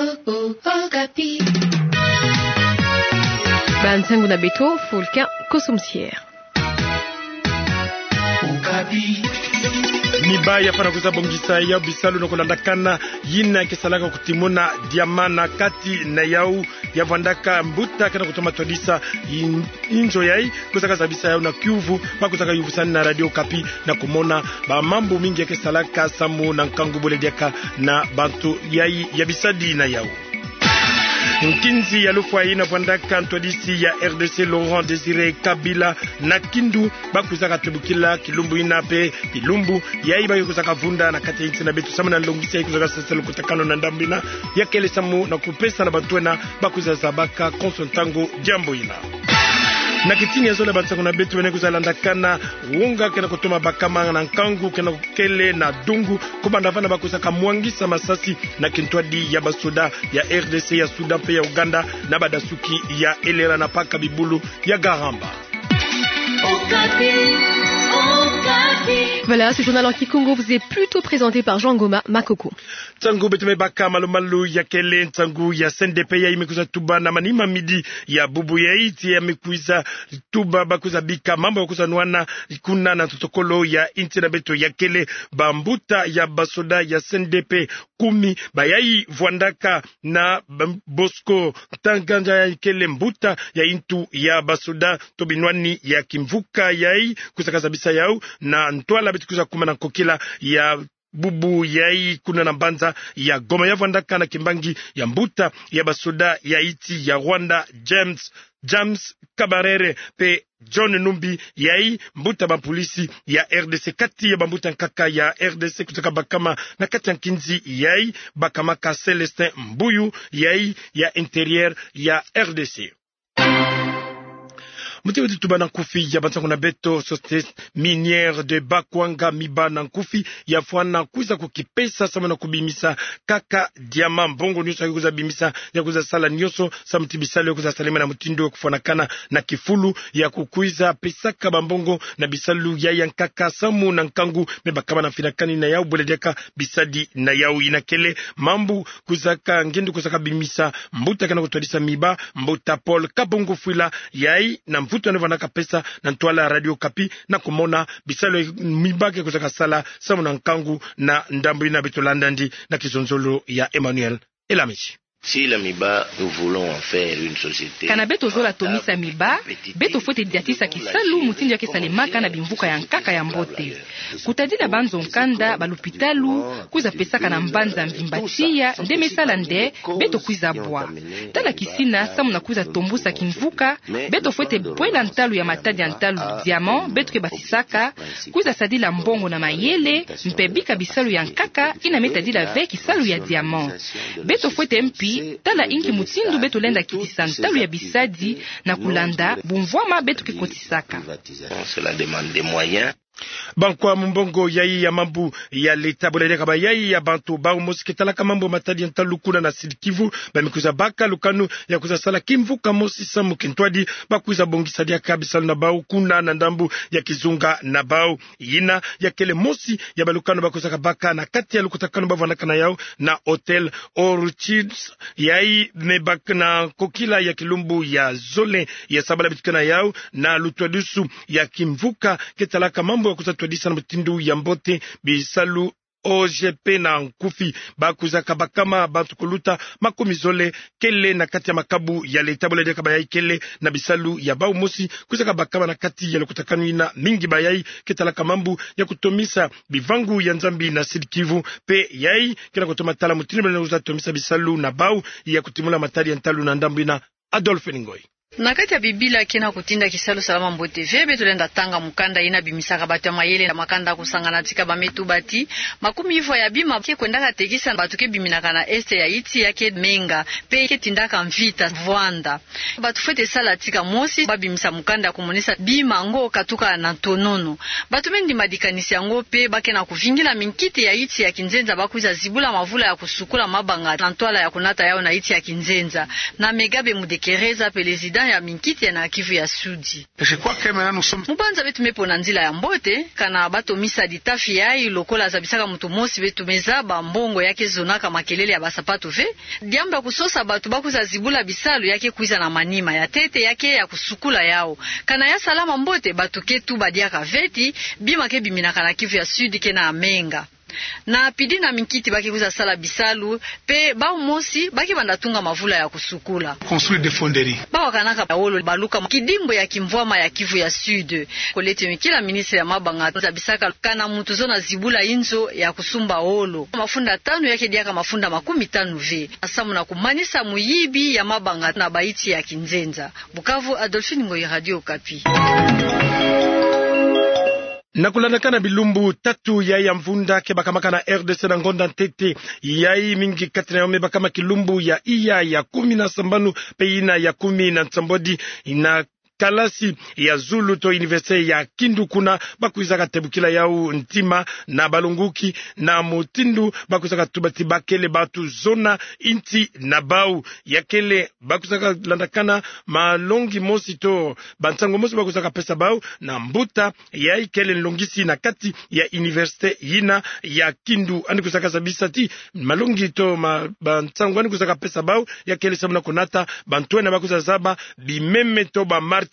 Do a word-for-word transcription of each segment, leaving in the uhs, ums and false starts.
Okapi. Bansangu na beto, Fulkin Kosumsier. Miba ya fwana kwiza bongisa yau bisalu na kulandakana yina ke salaka kutimuna diamant na kati na yau, ya vwandaka mbuta ke na kutoma twadisa in-, inzo yai, kwizaka zabisa yau na kiuvu, ba kwizaka yuvusani na Radio Okapi na kumona ba mambu mingi ya ke salaka samu na nkangu bole diaka na bantu yai ya bisadi na yau. Nkinzi ya lufwa yina vwandaka ntwadisi ya R D C Laurent Désiré Kabila na Kindu, ba kwizaka tebukila kilumbu yina mpe bilumbu yai ba kwizaka vunda na kati ya insi na beto samu na nlongisi yai kwizaka sasala lukutakanu na ndambu yina, ya kele samu na kupesa na bantu wena ba kwiza zabaka konso ntangu diambu yina. Na kitini ya zole, bansangu na beto, wena kwiza landakana wonga ke na kutoma bakama na nkangu ke na kele na dungu, kubanda vana ba kwizaka mwangisa masasi na kintwadi ya basoda ya R D C, ya Soudan mpe ya Ouganda, na badasuki ya Elera na paka bibulu ya Garamba. Okapi, Okapi. Voilà, ce journal en kikongo vous est plutôt présenté par Jean Ngoma Makoko. Nsangu beto me baka malu-malu ya kele, nsangu ya C N D P yai me kwiza tuba na manima midi ya bubu yai, ti ya me kwiza tuba ba kwiza bika mambu ya kwiza nwana kuna na ntotokolo ya insi na beto. Ya kele bambuta ya basoda ya C N D P kumi, bayai vwandaka na Bosco Ntaganda, ya kele mbuta ya intu ya basoda to binwani ya kimvuka yai, kwizaka zabisa yau na ntwala beto kwiza kuma na nkokila ya bubu yai kuna na mbanza ya Goma. Ya vwandaka na kimbangi ya mbuta ya basoda ya insi ya Rwanda, James, James Kabarebe, mpe John Numbi, yai mbuta bampolisi ya R D C. Kati ya bambuta nkaka ya R D C kwizaka bakama na kati ya nkinzi yai, bakamaka Célestin Mbuyu, yai ya Intérieur ya R D C. Muti wetu tuba na nkufi ya bansangu na beto, Société Minière de Bakwanga Miba na nkufi ya fwana kwiza kukipesa samu na kubimisa kaka diamant. Mbongo nyonso ya kwiza bimisa, ya kwiza sala nyonso samu ti bisalu ya kwiza salema na mutindu ya kufwanakana na kifulu, ya kukwiza pesaka bambongo na bisalu yai ya nkaka samu na nkangu me bakama na mfinakani na yau bole diaka bisadi na yau. Yina kele mambu kwizaka ngindu kwizaka bimisa mbuta ke na kutwadisa Miba, mbuta Paul Kabongo Fwila, yai na mvutu ya ne vwandaka pesa na ntwala Radio Okapi na kumona bisalu Miba ke kwizaka sala samu na nkangu na ndambu yina. Beto landa yandi na kizonzolo ya Emmanuel Elamisi. Si la Miba, nous voulons en faire une société. Kana beto zola tomisa Miba, beto fwete diatisa kisalu mutindu ya ke salemaka na bimvuka ya nkaka ya mbote. Kutadila banzo nkanda, balupitalu, kwiza pesaka na mbanza mvimba tiya, nde me sala nde beto kwiza bwa. Tala kisina, samu na kwiza tombusa kimvuka, beto fwete pwela ntalu ya matadi ya ntalu diamant beto ke basisaka, kwiza sadila mbongo na mayele, mpe bika bisalu ya nkaka yina me tadila ve kisalu ya diamant. Beto fwete mpi tala inki mutindu beto lenda kitisa ntalu ya bisadi na kulanda bumvwama beto ke kotisaka. Cela demande des moyens. Bankwa mumbongo yai ya mambu ya leta, bole diaka bayai ya bantu bau mosi ke talaka mambu ya matadi ya ntalu kuna na Sud-Kivu, ba me kwiza baka lukanu ya kwiza sala kimvuka mosi samu kintwadi ba kwiza bongisa diaka bisalu na bau kuna na ndambu ya kizunga na bau. Yina ya kele mosi ya balukanu ba kwizaka baka na kati ya lukutakanu ba vwandaka na yau na Hôtel Orchids, yai me baka na nkokila ya kilumbu ya zole ya sabala beto ke na yau, na lutwadusu ya kimvuka ke talaka mambu ya kwiza twadisa na mutindu ya mbote bisalu O G P na nkufi. Ba kwizaka bakama bantu kuluta makumi zole kele na kati ya makabu ya leta, bole diaka bayai kele na bisalu ya bau mosi kwizaka bakama na kati ya lukutakanu yina. Mingi bayai ke talaka mambu ya kutomisa bivangu ya Nzambi na Sud-Kivu, mpe yai ke na kutoma tala mutindu bale na kwiza tomisa bisalu na bau ya kutimula matadi ya ntalu na ndambu yina. Adolphe Ngoyi. Na kati ya Bibila ke na kutinda kisalu salama mbote ve. Beto lenda tanga mukanda yina bimisaka bato ya mayele na makanda kusangana tika ba me tuba ti makumi ivwa ya bima ke kwendaka tekisa bato ke biminaka na est ya insi ya ke menga, mpe ke tindaka mvita vwanda. Bato fwete sala tika mosi ba bimisa mukanda ya kumonisa bima yango katuka na ntonono. Bato me ndima likanisi yango mpe ba ke na kuvingila minkiti ya insi ya kinzenza ba kwiza zibula mavula ya kusukula mabanga na ntwala ya kunata yau na insi ya kinzenza. Na Megabe Mudekereza, président ya minkiti ya na Kivu ya Sud. Mu banza beto me pona nzila ya mbote, kana bato misa ditafi yayi, lokola zabisaka moto mosi, beto me zaba mbongo ya ke zonaka makelele ya basapato ve. Diambu ya kusosa bato bakwiza zibula bisalu ya ke kwiza na manima, ya ntete ya ke ya kusukula yawu. Kana ya salama mbote, bato ke tuba diaka ve ti bima ke biminaka na Kivu ya Sud ke na menga. Na pidi na minkiti ba ke kwiza sala bisalu, mpe bawu mosi ba ke banda tunga mavula ya kusukula. Construire des fonderies. Bawu bakanaka wolo baluka kidimbu ya kimvwama ya Kivu ya Sud. Colette Mikila, ministre ya mabanga, zabisaka kana moto zona zibula inzo ya kusumba wolo, mafunda tanu ya ke diaka mafunda makumi tanu ve, samu na kumanisa muyibi ya mabanga na bayinti ya kinzenza. Bukavu, Adolphine Ngoyi, Radio Okapi. Na kulandakana bilumbu tatu ya, ya mvunda ke bakamaka na R D C na ngonda ntete, yayi mingi kati na yo me bakama kilumbu ya iya ya kumi na sambanu mpe yina ya kumi na nsambwadi, na kalasi ya zulu to université ya Kindu, kuna bakwizaka tebukila yawu ntima na balonguki, na mutindu bakwizaka tuba ti bakele bato zona inti na bawu. Ya kele bakwizaka landakana malongi mosi to bansango mosi bakwizaka pesa bawu na mbuta yayi kele nlongisi na kati ya université yina ya Kindu. Yandi kwizaka zabisa ti malongi to ma, bansango yandi kwizaka pesa bawu, ya kele samu na kunata bantu yina bakwiza zaba bimeme to bamartiri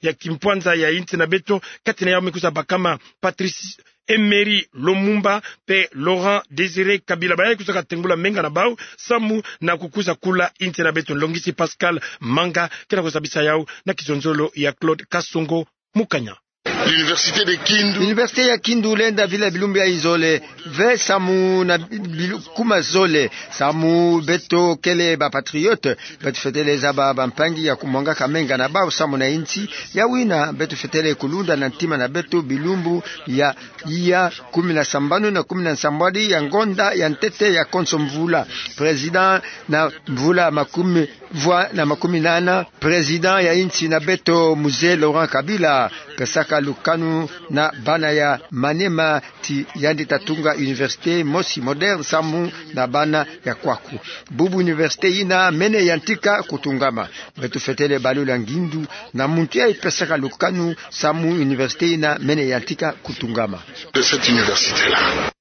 ya kimpwanza ya inti na beto. Kati na yawu me kwiza bakama Patrice Emery Lumumba mpe Laurent Désiré Kabila, bayayi kwizaka tengula menga na bawu samu na kukwiza kula inti na beto. Nlongisi Pascal Manga ke na kuzabisa yawu na kizonzolo ya Claude Kasongo Mukanya. L'université de Kindu. Université ya Kindu lenda vila bilumbu ya izole ve samu na bilu-, kuma zole, samu beto kele bapatriote, beto fwetele zaba bampangi ya kumwangaka menga na bawu samu na inti. Yawu yina beto fwetele kulunda na ntima na beto bilumbu ya iya kumi na sambanu na kumi na nsambwadi ya ngonda ya ntete ya konso mvula. Président na mvula makumi vwa na makumi nana, président ya inti na beto Mzee Laurent Kabila pesaka lukanu na bana ya Maniema ti yandi ta tunga université mosi moderne samu na bana ya kwaku. Bubu université yina mene yantika kutungama. Beto fwetele balula ngindu na muntu yayi pesaka lukanu samu université yina mene yantika kutungama. De cette université-là.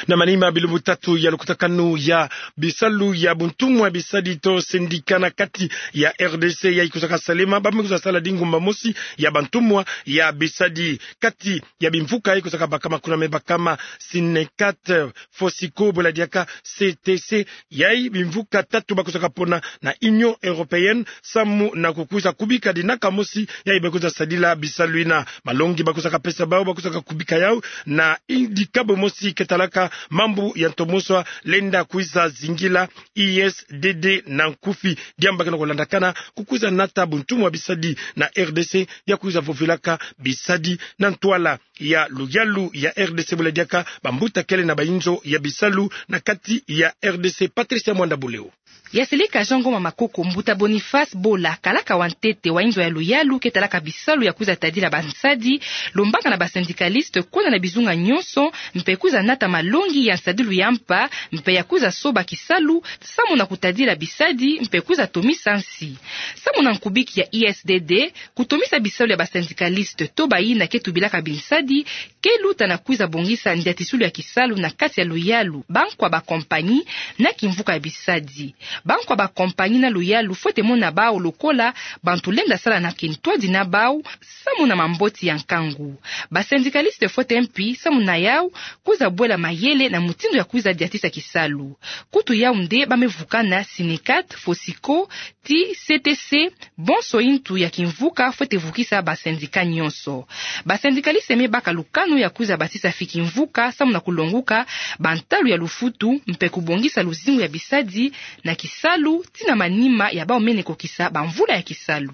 Na manima bilumbu tatu ya lukutakanu ya bisalu ya buntumwa bisadi to syndicat na kati ya R D C yayi kwizaka salema, ba me kwiza sala dingumba mosi ya bantumwa ya bisadi. Kati ya bimvuka yayi kwizaka bakama kuna me bakama Synecat, Fosico, bwela diaka C T C, yayi bimvuka tatu bakwizaka pona na Union Européenne samu na kukwiza kubika dinaka mosi yayi ba kwiza sadila bisalu yina. Malongi bakwizaka pesa bawu, bakwizaka kubika yawu na dikabu mosi ke talaka mambu ya ntomoso lenda kwiza zingila, I S D D na nkufi. Diambu ke na kulandakana kukwiza nata buntumwa bisadi na R D C ya kwiza vovilaka bisadi na ntwala ya luyalu ya R D C, bwela diaka bambuta kele na bayinzo ya bisalu na kati ya R D C. Patricia Mwanda Buleo. Ya Seleka Jean Ngoma Makoko, mbuta Boniface Bola, kalaka wa ntete wa inzo ya luyalu ke talaka bisalu ya kwiza tadila bansadi, lombaka na basyndicaliste kwenda na bizunga nyonso, mpe kwiza nata malongi ya nsadilu ya mpa, mpe ya kwiza soba kisalu samu na kutadila bisadi, mpe kwiza tomisa nsi. Samu na nkubiki ya I S D D, kutomisa bisalu ya basyndicaliste to bayina ke tubilaka binsadi, ke luta na kwiza bongisa ndiatisulu ya kisalu na kati ya luyalu, bankwa bakompanyi na kimvuka ya bisadi. Bankwa bakompanyi na luyalu fwete mona bawu lokola bantu lenda sala na kintwadi na bawu samu na mamboti ya nkangu. Basyndicaliste fwete mpi samu na yawu kwiza bwela mayele na mutindu ya kwiza diatisa kisalu. Kutu yawu nde ba me vukana Synecat, Fosico, ti C T C, bonso intu ya kimvuka fwete vukisa basyndicats nyonso. Basyndicalistes me baka lukanu ya kwiza basisa fi kimvuka samu na kulonguka bantalu ya lufutu mpe kubongisa luzingu ya bisadi na kisalu, tii na manima ya bawu mene kokisa bamvula ya kisalu.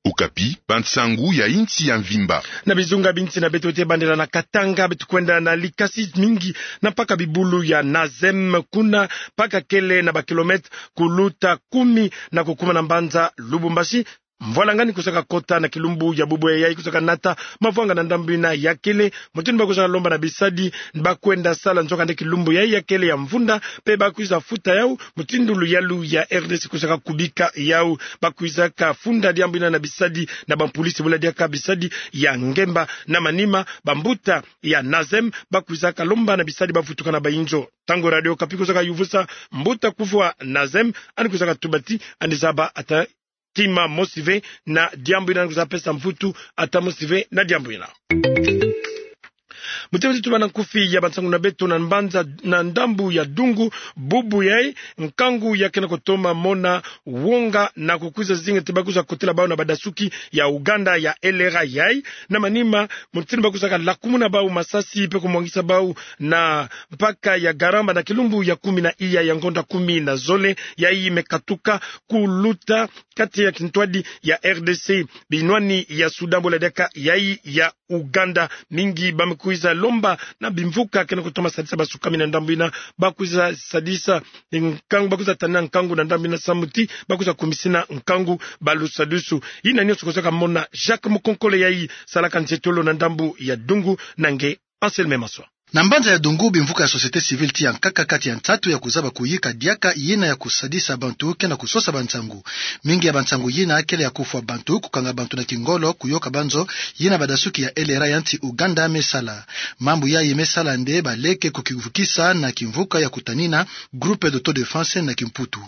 Okapi, bansangu ya insi ya mvimba. Na bizunga binsi na beto, tubandela na Katanga, beto kwenda na Likasi, mingi na mpaka bibulu ya Nazem, kuna mpaka kele na ba kilomètres kuluta kumi na kukuma na mbanza Lubumbashi. Mvwalanga ni kwizaka kota na kilumbu ya bubu yayi, kwizaka nata mavwanga na ndambu ina ya kele, mutindu ba kwizaka lomba na bisadi ba kwenda sala nzoka nde kilumbu yayi ya kele ya mvunda, mpe ba kwiza futa yau mutindu luyalu ya R D C kwizaka kubika yau. Ba kwizaka funda diambu ina na bisadi na bampulisi, bula diaka bisadi ya ngemba. Na manima, bambuta ya NAZEM ba kwizaka lomba na bisadi ba vutuka na bayinzo. Ntangu Radio Okapi kwizaka yuvusa mbuta kufu wa NAZEM, yandi kwizaka tuba ti yandi zaba ata kima mosi ve na diambu ina, yandi kwizaka pesa mvutu ata mosi ve na diambu ina. Mutindu ti tubana nkufi ya bansangu na beto, na mbanza na ndambu ya Dungu, bubu yayi, nkangu ya kena kutoma mona wonga na kukwiza zinga ti ba kwiza kotela bau na badasuki ya Ouganda ya L R A yayi. Na manima, mutindu ba kwizaka lakumuna bau masasi mpe kumwangisa bau na mpaka ya Garamba na kilumbu ya kumi na iya ya ngonda kumi na zole, yayi me katuka kuluta kati ya kintwadi ya R D C, binwani ya Soudan, bula diaka yayi ya Ouganda. Mingi ba me kwiza lomba na bimvuka kena kutoma sadisa basukami na ndambu ina, ba kwiza sadisa nkangu, ba kwiza tanina nkangu na ndambu ina samu ti ba kwiza kumisina nkangu ba lusadusu. Ina nionso kwizaka mona Jacques Mukonkole, yayi salaka nzietolo na ndambu ya Dungu, na nge Anselme Maswa. Na mbanza ya Dungu, bimvuka ya société civile ti ya nkaka kati ya nsatu ya kuzaba kuyika diaka yina ya kusadisa bantu kena kusosa bansangu. Mingi ya bansangu yina kele ya kufwa bantu, kukanga bantu na kingolo, kuyoka banzo, yina badasuki ya L R A ya nsi Ouganda me sala. Mambu yayi me sala nde baleke kukivukisa na kimvuka ya kutanina groupe d'autodéfense na kimputu.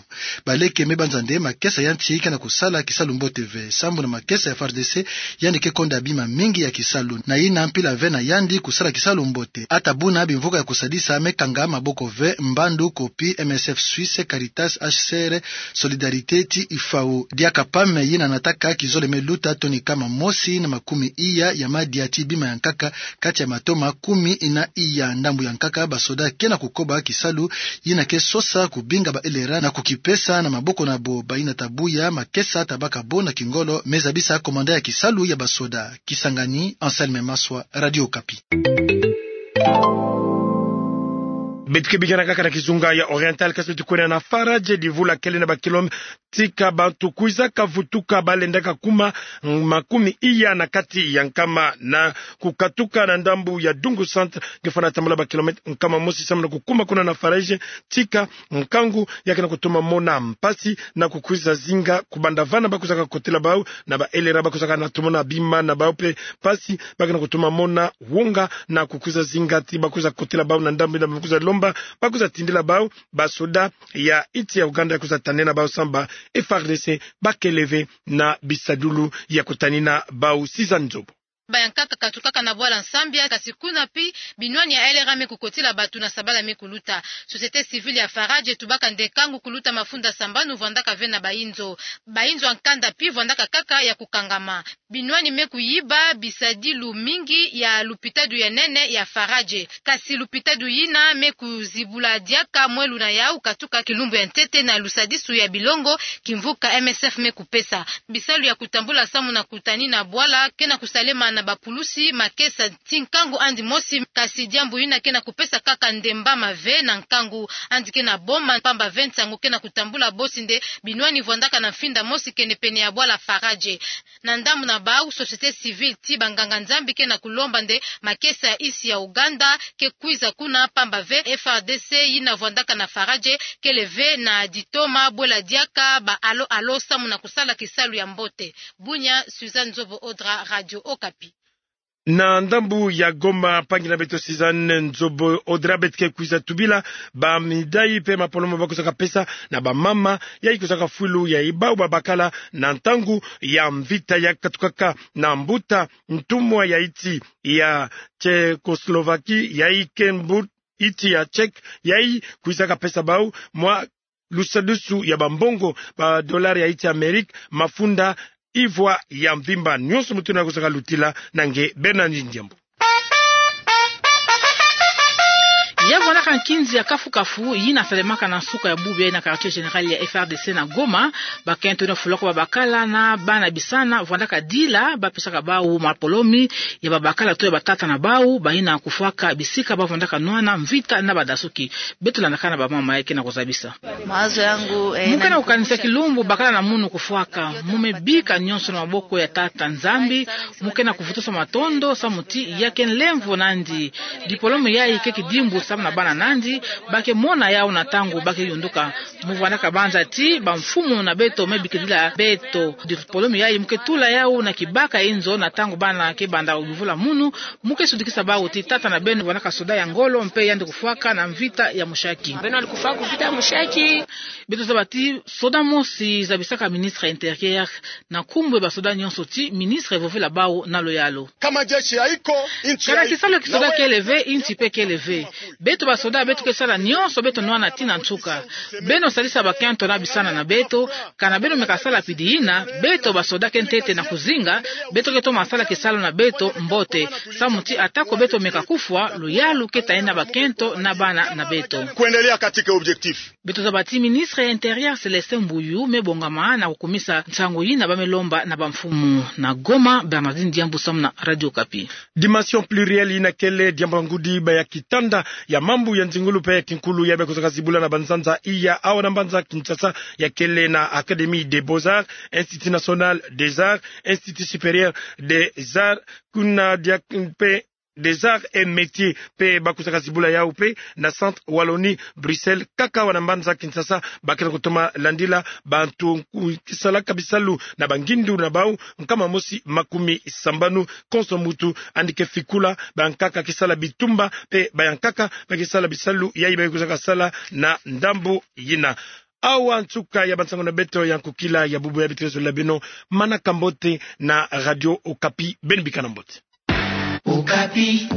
Baleke me banza nde makesa ya nsi kena kusala kisalu mbote ve, sambu na makesa ya F A R D C yandi ke konda bima mingi ya kisalu, na yina mpila ve na yandi kusala kisalu mbote. Ata buna bimvuka ya kusadisa me kanga maboko ve, mbandu kopi M S F Suisse, Caritas, H C R, Solidarité ti I F A O. Diaka PAM yina nataka kizole me luta toni kama mosi na makumi iya ya madia ti bima ya nkaka kati ya matoma kumi na iya. Ndambu ya nkaka, basoda kena kukoba kisalu yina ke sosa kubinga ba L R A na kukipesa na maboko na bo. Bayina ta buya makesa ta baka bo na kingolo, me zabisa commandant ya kisalu ya basoda. Kisangani, Anselme Maswa, Radio Okapi. Beto ke bikana kaka na kizunga ya Oriental, kasi beto kwenda na Faradje, divula kele na ba kilomètre tika bantu kwizaka vutuka, ba lendaka kuma makumi iya na kati ya nkama na kukatuka na ndambu ya Dungu Centre, nge fwana tambula ba kilomètre nkama mosi samu na kukuma kuna na Faradje, tika nkangu ya kena kutoma mona mpasi na kukwiza zinga. Kubanda vana ba kwizaka kotela bau na ba L R A, ba kwizaka na tomona bima na bau mpe mpasi, ba kena kutoma mona wonga na kukwiza zinga ti ba kwiza kotela bau na ndambu ina, ba kwiza lomba, ba kwiza tindila bau basoda ya insi ya Ouganda ya kwiza tanena bau samu ba F A R D C ba kele ve na bisadulu ya kutanina bau. Siza Nzobo. Bayankaka katukaka na bwala Nsambia, kasi kuna pi binwani ya L R A me kukotila batu na sabala me kuluta. Société civile ya Faradje etubaka nde nkangu kuluta mafunda sambanu vwandaka ve na bayinzo. Bayinzo ya nkanda pi vwandaka kaka ya kukangama. Binwani me kuyiba bisadilu mingi ya lupitadu ya nene ya Faradje. Kasi lupitadu yina me kuzibula diaka mwelu na yau katuka kilumbu ya ntete na lusadisu ya bilongo kimvuka M S F me kupesa. Bisalu ya kutambula samu na kutanina bwala kena kusalema na bapulusi makesa ti nkangu yandi mosi, kasi diambu yina kena kupesa kaka nde mbama ve na nkangu. Yandi kena boma mpamba ve nsangu kena kutambula bosi nde binwani vwandaka na mfinda mosi kenepene ya bwala Faradje. Na ndambu na bau, société civile ti banganga-Nzambi kena kulomba nde makesa ya insi ya Ouganda ke kwiza kuna, mpamba ve F A R D C yina vwandaka na Faradje kele ve na ditoma bwela diaka ba alo-alo samu na kusala kisalu ya mbote. Bunia, Suzanne Nzobo Odra, Radio Okapi. Na ndambu ya Goma, mpangi na beto Suzanne Nzobo Odra, beto ke kwiza tubila bamidai mpe mapoloma ba kwizaka pesa na bamama yayi kwizaka fwilu yayi bau babakala na ntangu ya mvita ya katukaka na mbuta ntumwa ya insi ya Tchécoslovaquie, yayi ke mbu-, insi ya Tchèque, yayi kwizaka pesa bau mwa lusadusu ya bambongo, ba dollar ya insi ya Amerika, mafunda ivwa ya mvimba. Nionso mutindu na kwizaka lutila, na nge Bernard Ndiambu. Ya vwandaka Nkinzi ya kafu-kafu yina salemaka na nsuka ya bubu yai na quartier général ya F R D C na Goma, bakento yina fulu ko babakala na bana bisana vwandaka dila bapesaka bau mapolomi ya babakala to ya batata na bau, bayina kufwaka bisika bavwandaka nwana mvita na badasuki. Beto landaka na bamama yai ke na kuzabisa. Mawazo yangu, eh, mu ke na kukanisa kilumbu bakala na munu kufwaka, mu me bika nyonso na maboko ya Tata Nzambi, mu ke na kuvutusa matondo samu ti ya ke nlemvo nandi. Dipolome yai ke kidimbu samu na bana nandi, ba ke mona yau na ntangu ba ke yunduka. Mu vwandaka banza ti bamfumu na beto me bikidila beto. Dipolome yai mu ke tula yau na kibaka inzo na ntangu bana ke banda yuvula munu, mu ke sudikisa bau ti tata na beno vwandaka soda ya ngolo mpe yandi kufwaka na mvita ya mushaki. Beno ali kufwa ku mvita ya mushaki. Beto zaba ti soda mosi zabisaka ministre ya Intérieur na nkumbu ya basoda nyonso ti ministre vovela bau na luyalu. Kama jeshi haiko, nchi haiko. Kana kisalu ya kisoda kele ve, nchi mpe kele ve. Beto basoda beto ke sala nyonso beto nwana tii na nsuka. Beno salisa bakento na bisana na beto, kana beno meka sala pidi yina, beto basoda ke ntete na kuzinga, beto ke toma sala kisalu na beto mbote. Samu ti atako beto meka kufwa, luyalu ke ta yina bakento na bana na beto. Kuendelea katika objectif. Beto zaba ti ministre ya Intérieur Célestin Mbuyu me bongama na kukumisa nsangu yina ba me lomba na bamfumu. Na Goma, Bernardine Diambu samu na Radio Okapi. Dimension plurielle yina kele diambu ya ngudi baya kitanda ya mambu ya nzingulu mpe ya kinkulu ya me kusaka zibula na banzanza iya awa na mbanza Kinshasa, ya kele na Académie des Beaux-Arts, Institut National des Arts, Institut Supérieur des Arts, kuna dia mpe des Arts et Métiers, mpe ba kusaka zibula yau mpe na Centre Wallonie Bruxelles, kaka awa na mbanza Kinshasa, ba ke na kutoma landila bantu kisalaka bisalu na bangindu na bau nkama mosi makumi sambanu, konso muntu andi ke fikula bankaka ke sala bitumba mpe bankaka ba ke sala bisalu yai ba ke kusaka sala na ndambu yina. Awa nsuka ya bansangu na beto ya nkukila ya bubu ya bitezo la beno, manaka mbote na Radio Okapi, beno bikana mbote. Okapi.